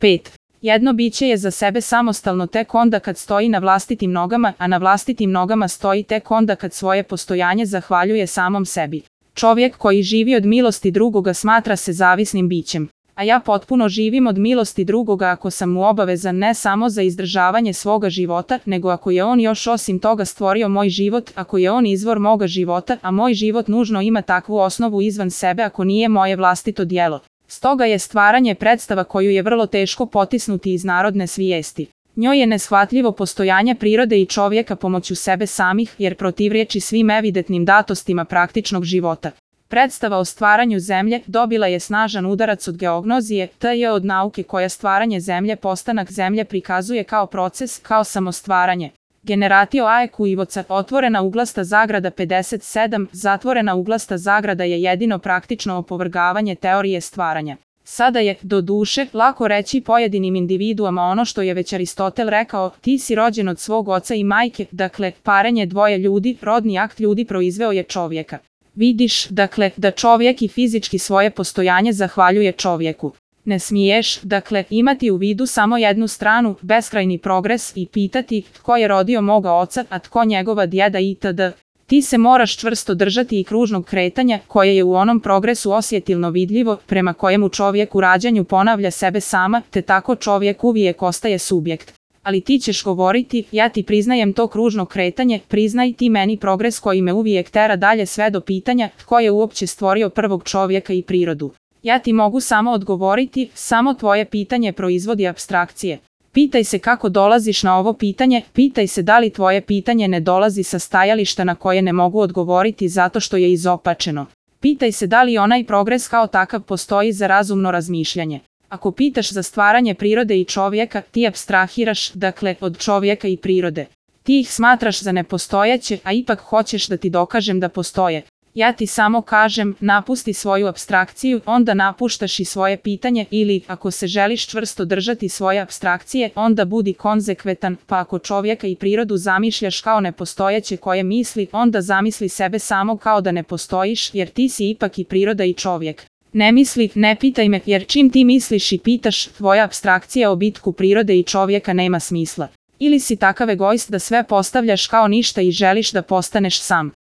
5. Jedno biće je za sebe samostalno tek onda kad stoji na vlastitim nogama, a na vlastitim nogama stoji tek onda kad svoje postojanje zahvaljuje samom sebi. Čovjek koji živi od milosti drugoga smatra se zavisnim bićem. A ja potpuno živim od milosti drugoga ako sam mu obavezan ne samo za izdržavanje svoga života, nego ako je on još osim toga stvorio moj život, ako je on izvor moga života, a moj život nužno ima takvu osnovu izvan sebe ako nije moje vlastito djelo. Stoga je stvaranje predstava koju je vrlo teško potisnuti iz narodne svijesti. Njoj je neshvatljivo postojanje prirode i čovjeka pomoću sebe samih, jer protivriječi svim evidentnim datostima praktičnog života. Predstava o stvaranju zemlje dobila je snažan udarac od geognozije, t.j. od nauke koja stvaranje zemlje, postanak zemlje prikazuje kao proces, kao samostvaranje. Generatio aequivoca, otvorena uglasta zagrada 57, zatvorena uglasta zagrada je jedino praktično opovrgavanje teorije stvaranja. Sada je, do duše, lako reći pojedinim individuama ono što je već Aristotel rekao, ti si rođen od svog oca i majke, dakle, parenje dvoje ljudi, rodni akt ljudi proizveo je čovjeka. Vidiš, dakle, da čovjek i fizički svoje postojanje zahvaljuje čovjeku. Ne smiješ, dakle, imati u vidu samo jednu stranu, beskrajni progres i pitati tko je rodio moga oca, a tko njegova djeda itd. Ti se moraš čvrsto držati i kružnog kretanja, koje je u onom progresu osjetilno vidljivo, prema kojemu čovjek u rađanju ponavlja sebe sama, te tako čovjek uvijek ostaje subjekt. Ali ti ćeš govoriti, ja ti priznajem to kružno kretanje, priznaj ti meni progres koji me uvijek tera dalje sve do pitanja tko je uopće stvorio prvog čovjeka i prirodu. Ja ti mogu samo odgovoriti, samo tvoje pitanje proizvodi apstrakcije. Pitaj se kako dolaziš na ovo pitanje, pitaj se da li tvoje pitanje ne dolazi sa stajališta na koje ne mogu odgovoriti zato što je izopačeno. Pitaj se da li onaj progres kao takav postoji za razumno razmišljanje. Ako pitaš za stvaranje prirode i čovjeka, ti apstrahiraš, dakle, od čovjeka i prirode. Ti ih smatraš za nepostojeće, a ipak hoćeš da ti dokažem da postoje. Ja ti samo kažem, napusti svoju apstrakciju, onda napuštaš i svoje pitanje ili, ako se želiš čvrsto držati svoje apstrakcije, onda budi konzekventan, pa ako čovjeka i prirodu zamišljaš kao nepostojeće koje misli, onda zamisli sebe samo kao da ne postojiš, jer ti si ipak i priroda i čovjek. Ne misli, ne pitaj me, jer čim ti misliš i pitaš, tvoja apstrakcija o bitku prirode i čovjeka nema smisla. Ili si takav egoist da sve postavljaš kao ništa i želiš da postaneš sam.